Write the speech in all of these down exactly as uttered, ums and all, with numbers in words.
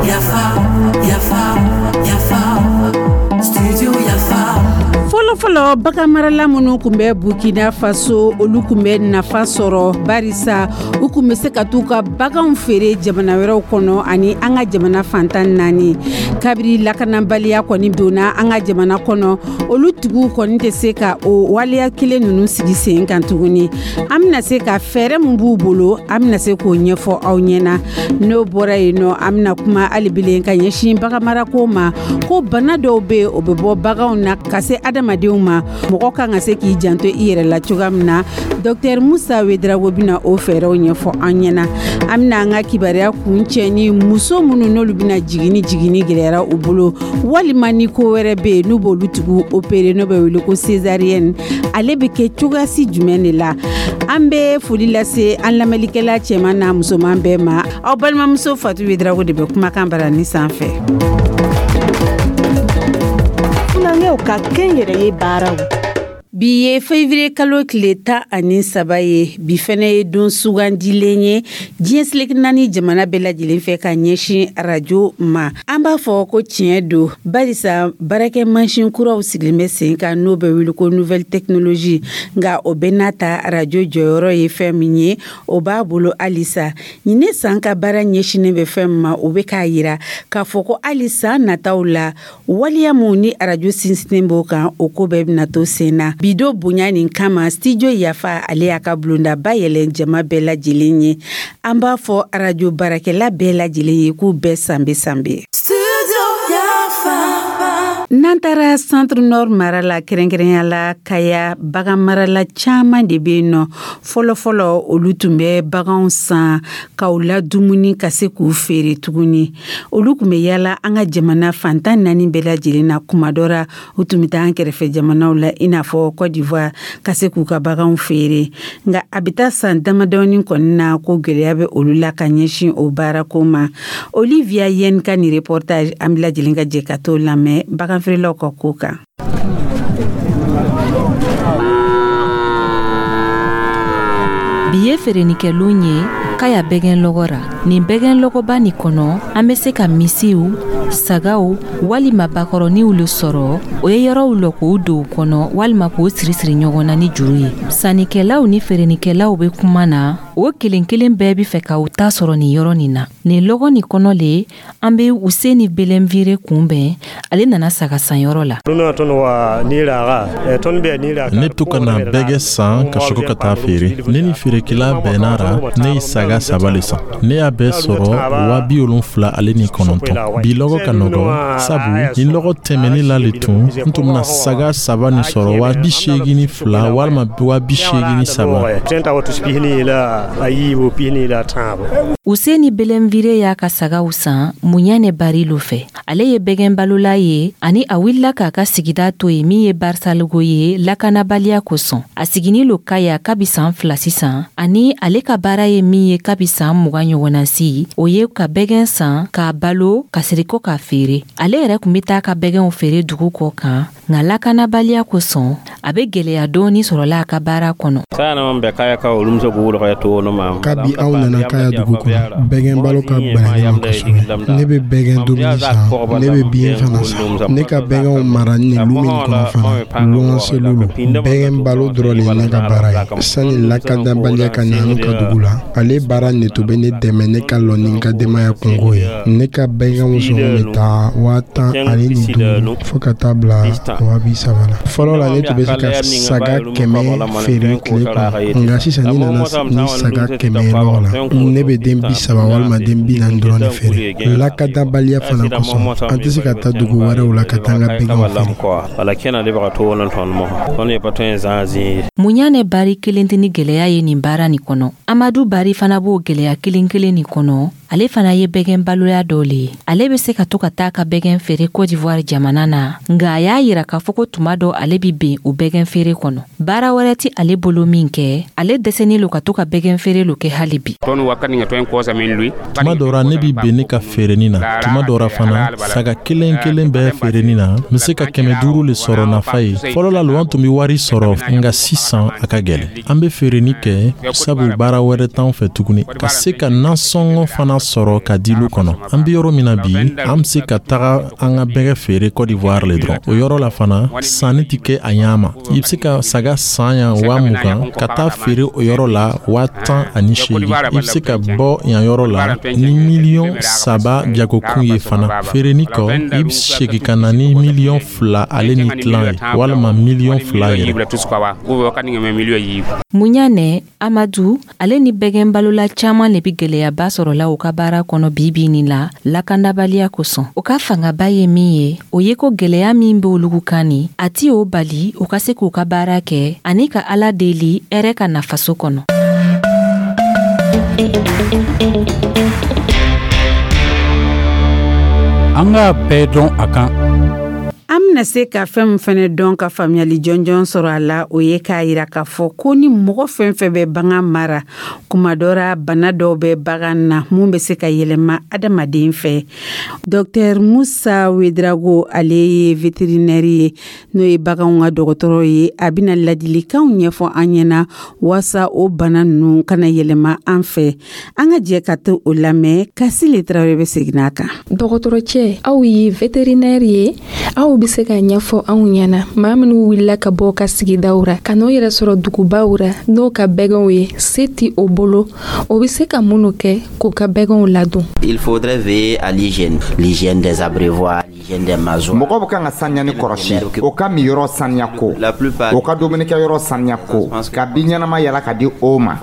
Yafa, yafa, yafa, studio Yafa. Fɔlɔfɔlɔ, baganmarala minnu tun bɛ Burkina Faso, olu tun bɛ nafa sɔrɔ, barisa u tun bɛ se ka t'u ka baganw feere jamana wɛrɛw kɔnɔ ani an ka jamana fantan naani. Kabiri lakanabaliya kɔni donna an ka jamana kɔnɔ, olu tigiw kɔni tɛ se ka o waleya kelen ninnu sigi sen kan tuguni. An bɛna se ka fɛɛrɛ min b'u bolo, an bɛna se k'o ɲɛfɔ aw ɲɛna. N'o bɔra yen nɔ, an bɛna kuma hali ka ɲɛsin baganmarako ma, ko bana dɔw bɛ yen, o bɛ bɔ baganw na ka se adamadenw ma. Mɔgɔ kan ka se k'i janto i yɛrɛ la cogoya min na, Docteur Musa Wedrago bɛna o fɛɛrɛw ɲɛfɔ an ɲɛna. An bɛna an ka kibaruya kun cɛ ni muso minnu n'olu bɛna jigini, jigini gɛlɛyara u bolo, walima ni ko wɛrɛ bɛ yen n'u b'olu tigiw opérer, n'o bɛ wele ko césarienne, ale bɛ kɛ cogoyasi jumɛn de la? An bɛ foli lase an lamɛnlikɛla cɛman n'a musoman bɛɛ ma. Aw balimamuso Fatu Wedrago de bɛ kumakan bara ni sanfɛ. Funanŋɛw ka kɛnyɛrɛye baaraw. Bi ye février kalo tile tan ani saba ye. Bi fɛnɛ ye don sugandilen ye diɲɛ seleke naani jamana bɛɛ lajɛlen fɛ ka ɲɛsin arajo ma. An b'a fɔ ko tiɲɛ don, barisa baarakɛ mansin kuraw sigilen bɛ sen kan, n'o bɛ wele ko nouvelle technologie. Nka o bɛɛ n'a ta, arajo jɔyɔrɔ ye fɛn min ye, o b'a bolo halisa. Ɲinɛ san ka baara ɲɛsinnen bɛ fɛn min ma, o bɛ k'a yira k'a fɔ ko hali san nataw la, waleya mun ni arajo sinsinnen b'o kan, o ko bɛɛ bɛna to sen na. Bi don bonya nin kama, Studio Yafa, ale y'a ka bulondaba yɛlɛn jama bɛɛ lajɛlen ye. An b'a fɔ arajo baarakɛla bɛɛ lajɛlen ye k'u bɛɛ sanbe sanbe. Studio Yafa. N'an taara Centre Nord mara la, kɛrɛnkɛrɛnya la Kaya, bagan marala caman de bɛ yen nɔ. Fɔlɔfɔlɔ, olu tun bɛ baganw san k'aw la dumuni ka se k'u feere tuguni. Olu tun bɛ yala an ka jamana fantan naani bɛɛ lajɛlen na. Kuma dɔ ra, u tun bɛ taa an kɛrɛfɛ jamanaw la, i n'a fɔ Côte d'Ivoire, ka se k'u ka baganw feere. Nka a bɛ taa san damadɔni kɔni na ko gɛlɛya bɛ olu la ka ɲɛsin o baarako ma. Olivia Yen ka nin reportage, an bɛ lajɛlen ka jɛ ka t'o lamɛn, bagan feerelaw ka ko kan. Bi ye feerenikɛlon ye Kaya bɛgɛn lɔgɔ ra. Nin bɛgɛn lɔgɔba nin kɔnɔ, an be se ka misiw, sagaw walima bakɔrɔniw le sɔrɔ. O ye yɔrɔw lɔ k'o don kɔnɔ walima k'o sirisiri ɲɔgɔn na ni juru ye. Sannikɛlaw ni feerenikɛlaw be kuma na, o kelen kelen bɛɛ be fɛ ka u ta sɔrɔ nin yɔrɔ nin na. Nin lɔgɔ nin kɔnɔ le, an be Useni Belenvire kunbɛn. Ale nana saga sanyɔrɔ la. Ne to ka na bɛgɛ san ka sɔrɔ ka taa feere. Ne ni feerekɛla bɛnna ra, ne ye saga saba le san. Ne y'a bɛɛ sɔrɔ waa bi wolonfila ale ni kɔnɔntɔn. Bi lɔgɔ ka nɔgɔ, sabu ni lɔgɔ tɛmɛni la le tun, n tun bɛna saga saba nin sɔrɔ waa bi seegin ni fila walima waa bi seegin ni saba. Useni Belenvire y'a ka sagaw san Muɲane Barilo fɛ. Ale ye bɛgɛn balola ye, ani a wulila k'a ka sigida to yen min ye Barisalogo ye, lakanabaliya kosɔn. A siginin lo Kaya kabi san fila sisan, ani ale ka baara ye min ye kabi san mugan ɲɔgɔnna si, o ye ka bɛgɛn san k'a balo ka siriko k'a feere. Ale yɛrɛ kun be taa ka bɛgɛnw feere dugu kɔ kan, nka lakanabaliya kosɔn, a be gwɛlɛya dɔɔni sɔrɔla a ka baara kɔnɔ. Kabi aw nana Kaya dugu kɔnɔ, bɛgɛn balo ka gwɛlɛ ne ma kosɛbɛ. Ne bɛ bɛgɛn dumuni san, ne bɛ biɲɛ fana san. Ne ka bɛgɛnw mara nin lu min kɔnɔ fana, luwanselu lo. Bɛgɛn balo dɔrɔn le ye ne ka baara ye. Sani lakanabaliya ka na an ka dugu la, ale baara ne tun bɛ ne dɛmɛ ne ka lɔ ni n ka denbaya kungo ye. Ne ka bɛgɛnw sɔngɔ bɛ taa waa tan ani ni duuru fo ka taa bila waa bi saba la. Fɔlɔ la, ne tun bɛ se ka saga kɛmɛ feere tile kɔnɔ, nka sisan ni nana ni saga kɛmɛ ye lɔgɔ la, ne bɛ den bi saba walima den bi naani dɔrɔn de feere. Lakanabaliya fana kosɔn, an tɛ se ka taa dugu wɛrɛw la ka taa an ka bɛgɛnw feere. Muɲane Bari kelen tɛ ni gwɛlɛya ye nin baara nin kɔnɔ. Amadu Bari fana b'o gwɛlɛya kelen kelen nin kɔnɔ. Ale fana ye bɛgɛn baloya dɔ le ye. Ale bɛ se ka to ka taa ka bɛgɛn feere Cote d'Ivoire jamana na, nka a y'a yira k'a fɔ ko tuma dɔ ale bi ben o bɛgɛn feere kɔnɔ. Baara wɛrɛ ti ale bolo min kɛ, ale dɛsɛnin lo ka to ka bɛgɛn feere lo kɛ hali bi. Tuma dɔ ra, ne bi ben ne ka feereni na. Tuma dɔ ra fana, saga kelen kelen bɛɛ feereni na, n be se ka kɛmɛ duuru le sɔrɔ nafa ye. Fɔlɔ la, luwan tun be wari sɔrɔ, nga sisan a ka gɛlɛn. An be feereni kɛ sabu baara wɛrɛ t'anw fɛ tuguni, ka se ka nasɔngɔ fana sɔrɔ ka di lu kɔnɔ. An be yɔrɔ min na bi, an be se ka taga an ka bɛgɛ feere Cote d'Ivoire le dɔrɔn. O yɔrɔ la fana, sanni tɛ kɛ a ɲa ma. I be se ka saga san yan waa mugan ka taa feere o yɔrɔ la waa tan ani seegin. I be se ka bɔ yan yɔrɔ la ni miliyɔn saba jagokun ye fana. Feereni kɔ, i be segi ka na ni miliyɔn fila ale ni tilan ye, walima miliyɔn fila yɛrɛ. Muɲanɛ Amadu, ale ni bɛgɛn balola caaman le bi gwɛlɛyaba sɔrɔla u ka baara kɔnɔ bibi nin la, lakandabaliya kosɔn. O ka fangaba ye min ye, o ye ko gwɛlɛya min be olugu kan ni a ti o bali u ka se k'u ka baara kɛ ani ka Ala deli hɛrɛ ka na faso kɔnɔ. An k'a bɛɛ dɔn a kan. An bɛna se ka fɛn min fɛnɛ dɔn ka faamuyali jɔnjɔn sɔrɔ a la, o ye k'a yira k'a fɔ ko ni mɔgɔ fɛn fɛn bɛ bagan mara, kuma dɔ ra bana dɔw bɛ bagan na mun bɛ se ka yɛlɛma adamaden fɛ. Docteur Musa Wedrago, ale ye vétérinaire ye, n'o ye baganw ka dɔgɔtɔrɔ ye. A bɛna ladilikanw ɲɛfɔ an ɲɛna waasa o bana ninnu kana yɛlɛma an fɛ. An ka jɛ ka to o lamɛn. Kasile Tarawele bɛ segin a kan. Dɔgɔtɔrɔcɛ, aw ye vétérinaire ye, aw bɛ se ka ɲɛfɔ anw ɲɛna, maa minnu wulila ka bɔ ka sigidaw ra ka n'o yɛrɛ sɔrɔ dugubaw ra n'o ka bɛgɛnw ye, se ti o bolo, o bɛ se ka minnu kɛ k'o ka bɛgɛnw ladon? Il faudrait veiller à l'hygiène, l'hygiène des abreuvoirs, l'hygiène des maisons. Mɔgɔ bɛ kan ka saniya ni kɔrɔsi, o ka miyɔrɔ saniya ko, o ka dumunikɛyɔrɔ saniya ko, ka bin ɲɛnama yala ka di o ma.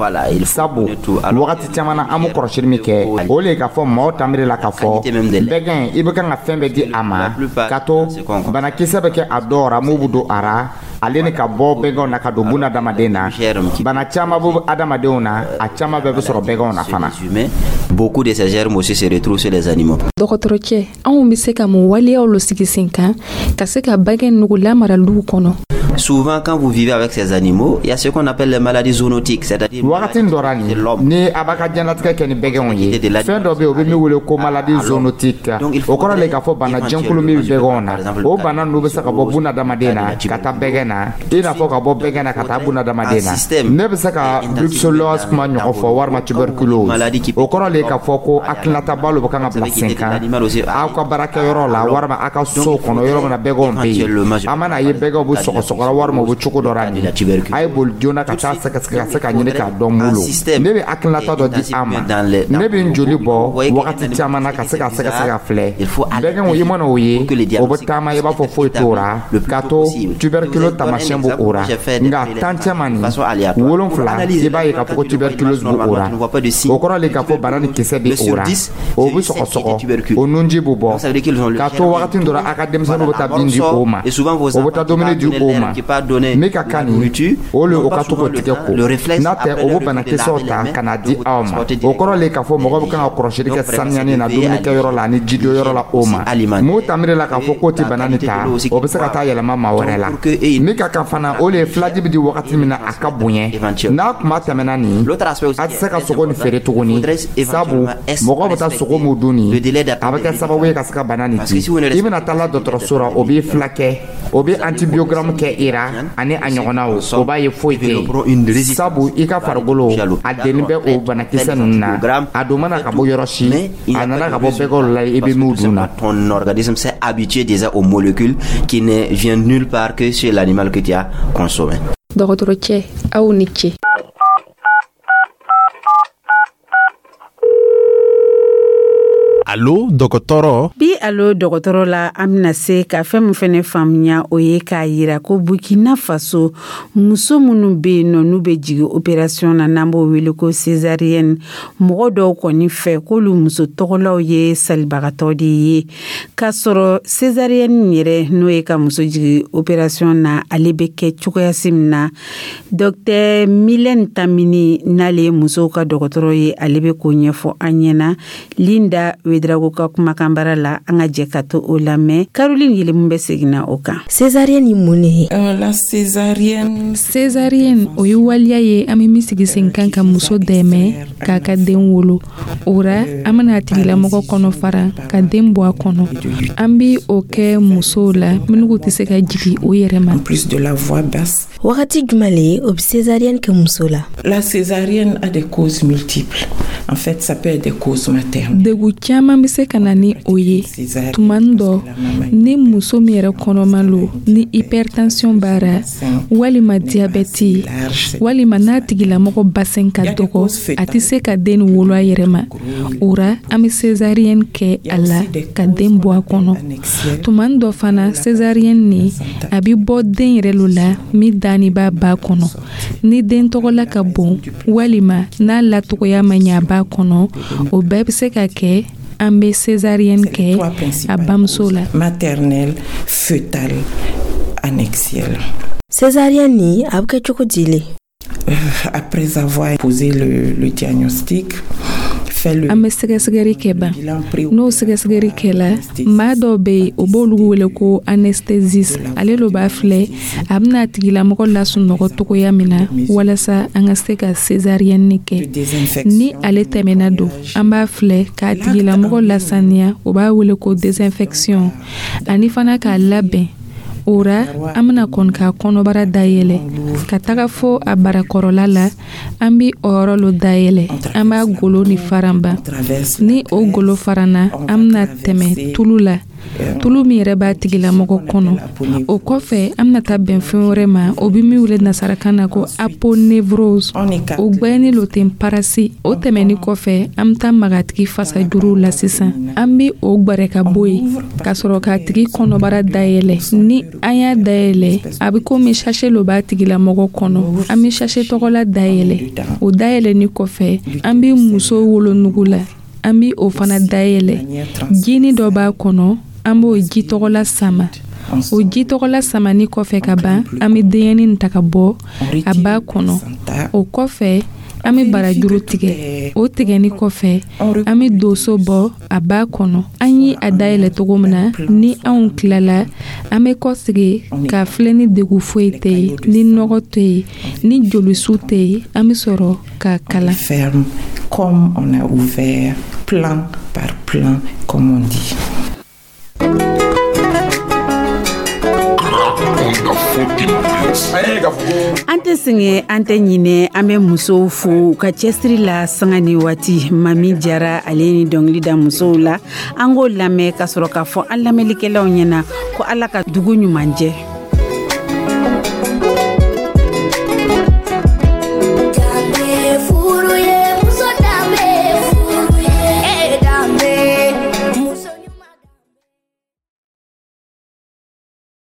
Sabu wagati caman na, an bɛ kɔrɔsili min kɛ, o le ye k'a fɔ maaw tamiri la k'a fɔ bɛgɛn, i bɛ kan ka fɛn bɛɛ di a ma, ka to banakisɛ bɛ kɛ a dɔw ra mun bɛ don a ra, ale ni ka bɔ bɛgɛnw na ka don buna adamaden na. Bana caman bɛ adamadenw na, a caman bɛɛ bɛ sɔrɔ bɛgɛnw na fana. Beaucoup de ces germes aussi se retrouvent sur les animaux. Dɔgɔtɔrɔcɛ, anw bɛ se ka mun waleyaw lo sigi sen kan ka se ka bɛgɛn nugu lamara luw kɔnɔ? Souvent, quand vous vivez avec ces animaux, il y a ce qu'on appelle les maladies zoonotiques, c'est-à-dire wagati dɔ ra nin, ni a b'a ka diɲɛlatigɛ kɛ ni bɛgɛnw ye, fɛn dɔ bɛ yen, o bɛ min wele ko maladie zoonotique. O kɔrɔ le k'a fɔ bana jɛnkulu min bɛ bɛgɛnw na, o bana ninnu bɛ se ka bɔ bunadamaden na ka taa bɛgɛn na, i n'a fɔ ka bɔ bɛgɛn na ka taa bunadamaden na. Ne bɛ se ka brucellose kuma ɲɔgɔn fɔ, walima tuberculose. O kɔrɔ le k'a fɔ ko hakilinataba lo bɛ kan ka bila sen kan aw ka baarakɛyɔrɔ la, walima aw ka so kɔnɔ, yɔrɔ min na bɛgɛnw bɛ yen. A mana ye bɛgɛnw bɛ sɔgɔsɔgɔ, walima u bɛ cogo dɔ la nin, a ye boli joona ka taa sɛgɛsɛgɛ ka se ka ɲini k'a dɔn mun lo. Ne bɛ hakilinata dɔ di an ma. Ne bɛ n joli bɔ wagati caman na ka se ka sɛgɛsɛgɛ ka filɛ bɛgɛnw. I mana o ye, o bɛ taama, i b'a fɔ foyi t'o ra, k'a to tuberculose taamasiyɛn b'o o ra, nka tan cɛman nin wolonfila, i b'a ye k'a fɔ ko tuberculose b'o o ra. O kɔrɔ le k'a fɔ bana ni kisɛ bɛ o ra, o bɛ sɔgɔsɔgɔ, o nunji bɛ bɔ, k'a to wagati dɔ la, a ka denmisɛnninw bɛ taa bin di o ma, o bɛ taa dumuni di o ma. Min ka kan nin, o le o ka to k'o tigɛ ko, n'a tɛ o bɛ banakisɛw ta ka na di aw ma. O kɔrɔ le k'a fɔ mɔgɔ bɛ kan ka kɔlɔsili kɛ saniyani na dumunikɛyɔrɔ la ani jidonyɔrɔ la o ma. Mun tamiri la k'a fɔ k'o tɛ bana nin ta, o bɛ se ka taa yɛlɛma maa wɛrɛ la. Min ka kan fana, o le ye filaji bɛ di wagati min na, a ka bonya. N'a kuma tɛmɛna nin, a tɛ se ka sogo nin feere tuguni, sabu mɔgɔ bɛ taa sogo mun dun nin, a bɛ kɛ sababu ye ka se ka bana nin di. I bɛna taa la dɔgɔtɔrɔso la, o b'i fila kɛ, o bɛ antibiogramme kɛ i ra ani a ɲɔgɔnnaw, o b'a ye foyi tɛ yen, sabu i ka farikolo a denni bɛ o banakisɛ ninnu na. A don mana ka bɔ yɔrɔ si, a nana ka bɔ bɛgɛw la, i bɛ min dun na. Ton organisme s'est habitué déjà aux molécules qui ne viennent nulle part que sur l'animal que tu as consommé. Dɔgɔtɔrɔcɛ, aw ni ce. A Alo dɔgɔtɔrɔ. Bi alo dɔgɔtɔrɔ la, an bɛna se ka fɛn min fɛnɛ faamuya, o ye k'a yira ko Burkina Faso, muso minnu bɛ yen nɔ, n'u bɛ jigin opération na, n'an b'o wele ko césarienne, mɔgɔ dɔw kɔni fɛ k'olu muso tɔgɔlaw ye salibagatɔ de ye, k'a sɔrɔ césarienne yɛrɛ, n'o ye ka muso jigin opération na, ale bɛ kɛ cogoyasi min na, docteur Mylène Tamini, n'ale ye musow ka dɔgɔtɔrɔ ye, ale bɛ k'o ɲɛfɔ an ɲɛna Linda Ouédraogo ka kumakan bara la. An ka jɛ ka to o lamɛn. Caroline Yelemu bɛ seginna o kan. Césarienne ye mun de ye? La césarienne. Césarienne, o ye waleya ye an bɛ min sigi sen kan ka muso dɛmɛ k'a ka den wolo. O ra, an bɛna a tigilamɔgɔ kɔnɔ fara ka den bɔ a kɔnɔ. An bi o kɛ musow la minnu tɛ se ka jigin o yɛrɛ ma. En plus de la voix basse. Wagati jumɛn le o bɛ césarienne kɛ muso la? La césarienne a des causes multiples. En fait, ça peut être des causes maternelles. Degun caman bɛ se ka na ni o ye. Tuma dɔ, ni muso min yɛrɛ kɔnɔma lo, ni hypertension b'a ra, walima diyabɛti, walima n'a tigilamɔgɔ bassin ka dɔgɔ, a tɛ se ka den wolo a yɛrɛ ma, o ra an bɛ césarienne kɛ a la ka den bɔ a kɔnɔ. Tuma dɔ fana, césarienne ni a bɛ bɔ den yɛrɛ lo la min danni b'a ba kɔnɔ. Ni den tɔgɔla ka bon, walima n'a latogoya ma ɲɛ a ba kɔnɔ, o bɛɛ bɛ se ka kɛ an bɛ césarienne kɛ a bamuso la. Maternelle, fœtale, annexielle. Césarienne ni a bɛ kɛ cogo di le? Après avoir posé le, le diagnostic, An bɛ sɛgɛsɛgɛli kɛ ban. N'o sɛgɛsɛgɛli kɛla, maa dɔw bɛ yen, o b'olu wele ko anesthésiste. Ale lo b'a filɛ a bɛna a tigilamɔgɔ lasunɔgɔ togoya min na walasa an ka se ka césarienne kɛ. Ni ale tɛmɛna don, an b'a filɛ k'a tigilamɔgɔ lasaniya, o b'a wele ko désinfection, ani fana k'a labɛn. O ra, an bɛna kɔni k'a kɔnɔbara dayɛlɛ ka taga fo a barakɔrɔla la. An bi o yɔrɔ lo dayɛlɛ, an b'a golo ni faranba. Ni o golo faranna, an bɛna tɛmɛ tulu la, tulu min yɛrɛ b'a tigilamɔgɔ kɔnɔ. O kɔfɛ, an bɛna taa bɛn fɛn wɛrɛ ma, o bɛ min wele nasarakan na ko aponévrose, o gbɛni lo ten parasi. O tɛmɛni kɔfɛ, an bɛ taa maga a tigi fasajuruw la sisan. An bɛ o gwɛrɛ ka bɔ yen ka sɔrɔ k'a tigi kɔnɔbara dayɛlɛ. Ni an y'a dayɛlɛ, a bɛ komi sachet lo b'a tigilamɔgɔ kɔnɔ. An bɛ sachet tɔgɔla dayɛlɛ. O dayɛlɛni kɔfɛ, an bɛ muso wolonugu la, an bɛ o fana dayɛlɛ. Jini dɔ b'a kɔnɔ, an b'o ji tɔgɔla sama. O ji tɔgɔla samani kɔfɛ ka ban, an bɛ denyɛnin ta ka bɔ a ba kɔnɔ. O kɔfɛ, an bɛ barajuru tigɛ. O tigɛni kɔfɛ, an bɛ doso bɔ a ba kɔnɔ, an ye a dayɛlɛ cogo min na. Ni anw tilala, an bɛ kɔsegi k'a filɛ ni degun foyi tɛ yen, ni nɔgɔ tɛ yen, ni jolisu tɛ yen, an bɛ sɔrɔ k'a kala. Ferme comme on a ouvert, plan par plan, comme on dit. An tɛ sɛgɛn, an tɛ ɲinɛ. An bɛ musow fo u ka cɛsiri la sanga ni waati. Mami Jara, ale ni dɔnkili da musow la, an k'o lamɛn ka sɔrɔ k'a fɔ an lamɛnlikɛlaw ɲɛna ko Ala ka dugu ɲuman jɛ.